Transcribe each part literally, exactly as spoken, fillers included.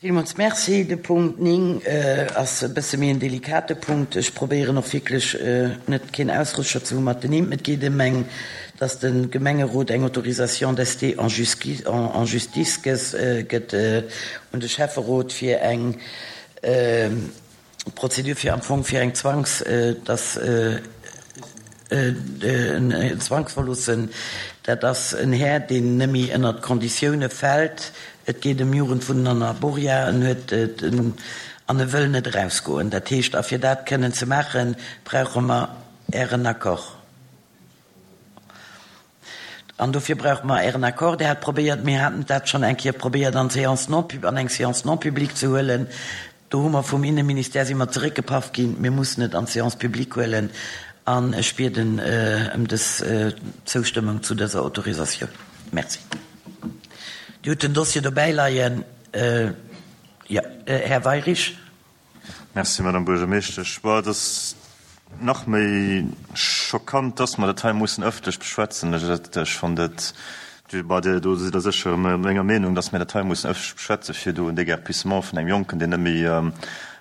Villmools Merci. De Punkt néng ass e bësse méi en delikate Punkt. Ech probéieren och wierklech net keen Ausrutscher ze hu mat den Nimm. Et geet ëm eng, dass de Gemengerot eng Autorisation d'ester en justice gëtt un de Schäfferot fir eng Prozedur fir am Fong fir eng Zwangs, dass en Zwangsverloossen, dat ass en Här, deen nëmme ënnert d'Konditioune fält. Et geet ëm Jugendwunnen an Arboria. En huet an e wëll net erausgoen. Dat heescht, a fir dat kënnen ze maachen, brauche mer Ären Accord. An dofir brauche mer Ären Accord. Dir hat probéiert, mir haten dat schonn eng Kéier probéiert an d'Séance non, an eng Séance non publique ze huelen. Do hu mer vum Inneministère si mer zeréckgepaff ginn, mir mussen et an d'Séance publique huelen. An ech bieden ëm dës Zoustëmmung zu dëser Autorisatioun. Merci. Dir hutt den Dossier dobäi leien. Jo, Här Weirich. Merci, Madame Buergermeeschtesch. Bon, et ass nach méi schockant, dass mer dat hei mussen ëffentlech beschwätzen. Ech fannen dat, bon, Dir do sidd Der sécher menger Meenung, dass mir dat hei mussen ëffentlech beschwätzen, fir do en Déguerpissement vun engem Jonken, deen net méi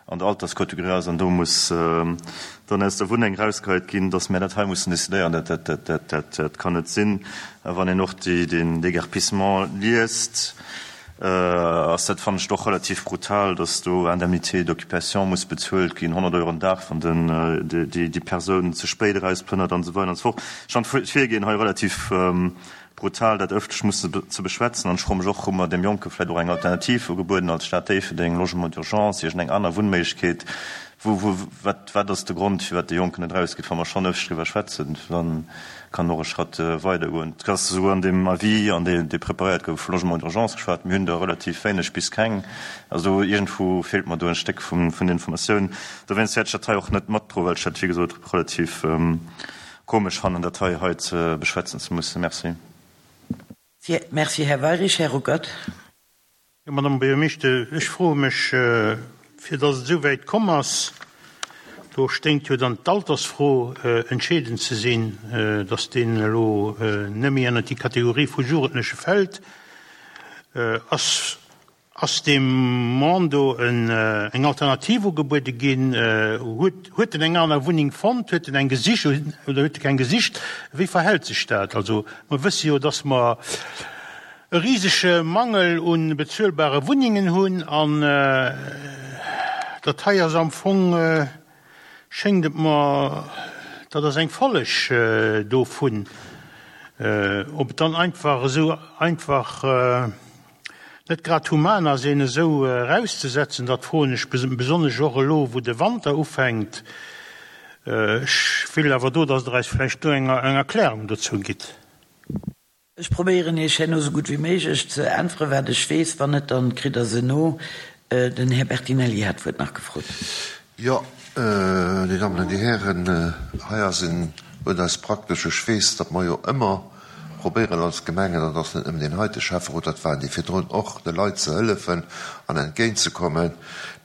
an der Alterskategorie ass an do muss dann aus der Wunneng erausgeheit ginn, dass mir dat hei mussen decidéieren, dat, dat, dat, dat, dat, dat kann net sinn. A wann een och déi, den Déguerpissement liest, ass dat, fannen ech, doch relativ brutal, dass do Indemnité d'occupation muss bezuelt ginn, honnert Euro den Dag, wann den, déi, déi Persoun ze spéit erauspënnert an esou weider an esou fort. Ech fannen d'Virgehen hei relativ brutal, dat ëffentlech musse ze beschwätzen. An ech froe mech och, hu mer deem Jonke vläicht och eng Alternativ ugebueden als Stad Déifferdeng, Logement d'urgence, iergendeng aner Wunnméiglechkeet? Wou, wou, wat, wat ass de Grond, firwat de Jonken net erausgeet? Wa mer schonn ëffentlech driwwer schwätzen, da kann och e Schratt weidergoen. Et ass esouguer an deem Avis, an dee, dee preparéiert gouf, vu Logement d'urgence geschwat. Mir hunn der relativ wéineg bis keng. Also iergendwou feelt mer do e Stéck vun, vun Informatioun. Dowéinst wäert ech dat hei och net matdroen, well ech dat, wéi gesot, relativ komesch fannen, dat hei hei ze beschwätzen ze mussen. Merci. Merci, Här Weirich. Här Ruckert. Jo, Madame Buergermeeschter, ech froe mech, fir datt et esou wäit komm ass, do sténgt jo dann d'Altersfro entscheedend ze sinn, datt deen elo net méi ënnert déi Kategorie vu Jugendleche fält. Ass, ass deem Mann do eng Alternativ ugebuede ginn? Huet, huet en eng aner Wunneng fonnt? Huet en eng gesicht oder huet e keng gesicht? Wéi verhält sech dat? Also mer wësse jo, datt mer e risege Mangel u bezuelbare Wunnengen hunn an dat hei ass am Fong, schéngt et mer, dat ass eng Folleg dovun. Ob et dann einfach esou einfach net grad human ass, een esou erauszesetzen, dat froen ech besonnesch och elo, wou de Wanter ufänkt. Ech wéilt awer do, datt Der eis vläicht do eng Erklärung dozou gitt. Ech probéieren Iech herno esou gutt wéi méiglech ze äntweren, wat ech weess. Wann net, dann kritt Der se no. Den Här Bertinelli hat d'Wuert nach gefrot. Jo, Dir Dammen an Dir Hären, hei ass en, huet eis praktesch, ech weess, datt mer jo ëmmer probéieren als Gemeng, an dat ass net nëmmen deen heite Schäfferot, dat waren déi virdrun och, de Leit ze hëllefen an entgéintzekommen,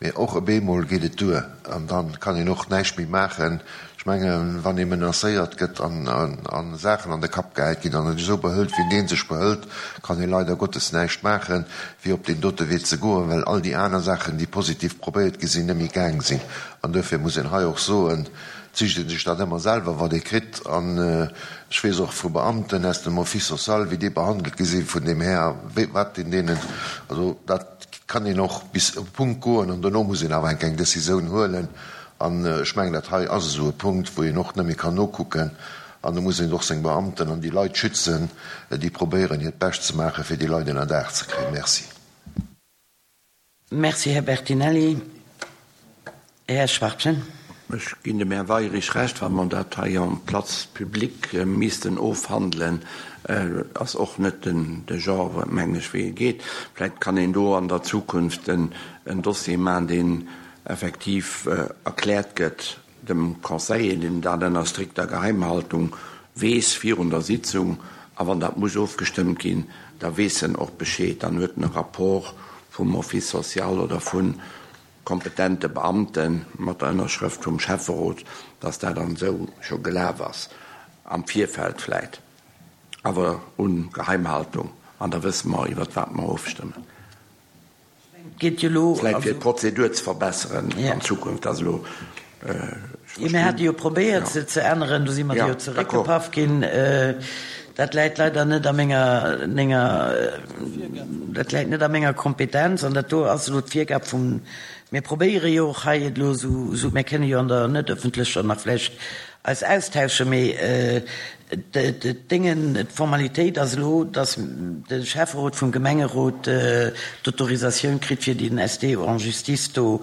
mee och op eemol geet et duer an da kann een och näischt méi maachen. Ech mengen, wann ee menacéiert gëtt an a Saachen an de Kapp gehäit ginn an en esou behëlt, wéi dee sech behëlt, kann ee leider Gottes näischt maachen, wéi op deen dote Wee ze goen, well all déi aner Saachen, déi positiv probéiert gi sinn, net méi gaang sinn. An duerfir muss een hei och soen, et sicht ee sech dat ëmmer selwer, wat ee kritt. An ech weess och vu Beamten aus dem Office social, wéi déi behandelt gi si vun deem Här, wéi, wat deen deenen, also dat kann een och bis op e Punkt goen an dono muss een awer enk eng Décisioun huelen. An ech mengen, dat hei ass esou e Punkt, wou een och net méi kann nokucken. An do muss een och seng Beamten an déi Leit schützen, déi probéieren, hiert Bescht ze maachen, fir déi Leit ënnerdaach ze kréien. Merci. Merci, Här Bertinelli. Här Schwachtgen. Ech ginn dem Här Weirich Recht, wa mer dat hei en place publique missten ofhandelen, ass och net den de Genre, mengen ech, wéi e geet. Vläicht kann een do an der Zukunft en Dossier maachen, deen effektiv erkläert gëtt dem Conseiller, deen dat ënner strikter Geheimhaltung weess virun der Sitzung, a wann dat muss ofgestëmmt ginn, da weess en och Bescheed, dann huet en e Rapport vum Office social oder vu kompetente Beamte mat der Ënnerschrëft vum Schäfferot, dass dat dann esou scho gelaf ass, am Virfeld vläit, awer un Geheimhaltung, an da wësse mer, iwwert wat mer ofstëmmen. Geet jo elo. Vläicht fir d'Prozedur ze verbesseren an Zukunft, ass elo. Jo, mir hate jo probéiert, se ze änneren, do si mer jo zeréckgepaff ginn. Dat läit leider net a menger, menger, dat läit net a menger Kompetenz an dat do ass elo d'Virgab vum, mir probéiere jo och hei et elo esou, esou, mir kënne jo an der net öffentlecher nach vläicht eis austauschen, mee d'Déngen, d'Formalitéit ass elo, dass de Schäfferot vum Gemengerot d'Autorisatioun kritt, fir den S D en justice do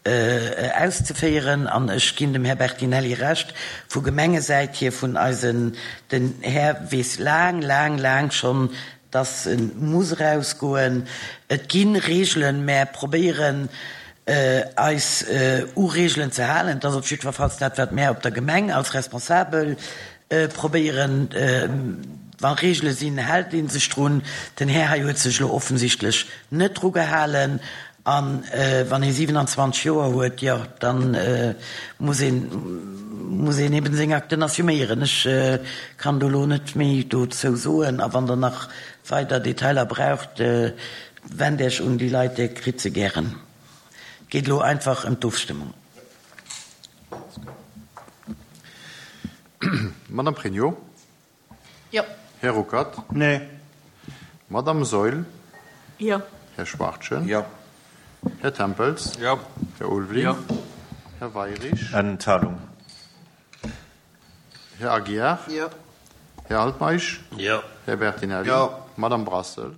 auszeféieren. An ech ginn dem Här Bertinelli Recht, vu Gemengesäit hier, vun eisen, den Här weess laang, laang, laang schonn, dass e muss erausgoen. Et gi Regeln, mä probéieren eis u Regeln ze halen. Dat ass op jiddwerfalls dat, wat mär op der Gemeng als Responsabel probéieren. Wa Regele sinn, hält ee sech drun. Den Här hei huet sech elo offensichtlech net dru gehalen. A wann ee siwenanzwanzeg Joer huet, jo, da muss een, muss een eben seng Akten assuméieren. Ech kann do elo net méi dozou soen. A wann Der nach weider Detailer braucht, wennt Iech un déi Leit, Dir kritt se gären. Et geet elo einfach ëm d'Ofstëmmung. Madame Pregno. Jo. Här Ruckert. Nee. Madame Saeul. Jo. Här Schwachtgen. Jo. Här Tempels. Jo. Här Ulveling. Jo. Här Weirich. Enthalung. Här Aguiar. Jo. Här Altmeisch. Jo. Här Bertinelli. Jo. Madame Brassel.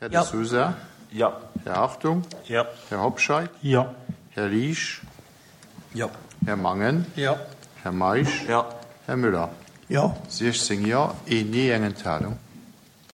Här De Jo. Sousa. Jo. Här Hartung. Jo. Här Hobscheit. Jo. Här Liesch. Jo. Här Mangen. Jo. Här Meisch. Jo. Här Müller. Jo. siechzéng Jo, een Nee, eng Enthalung.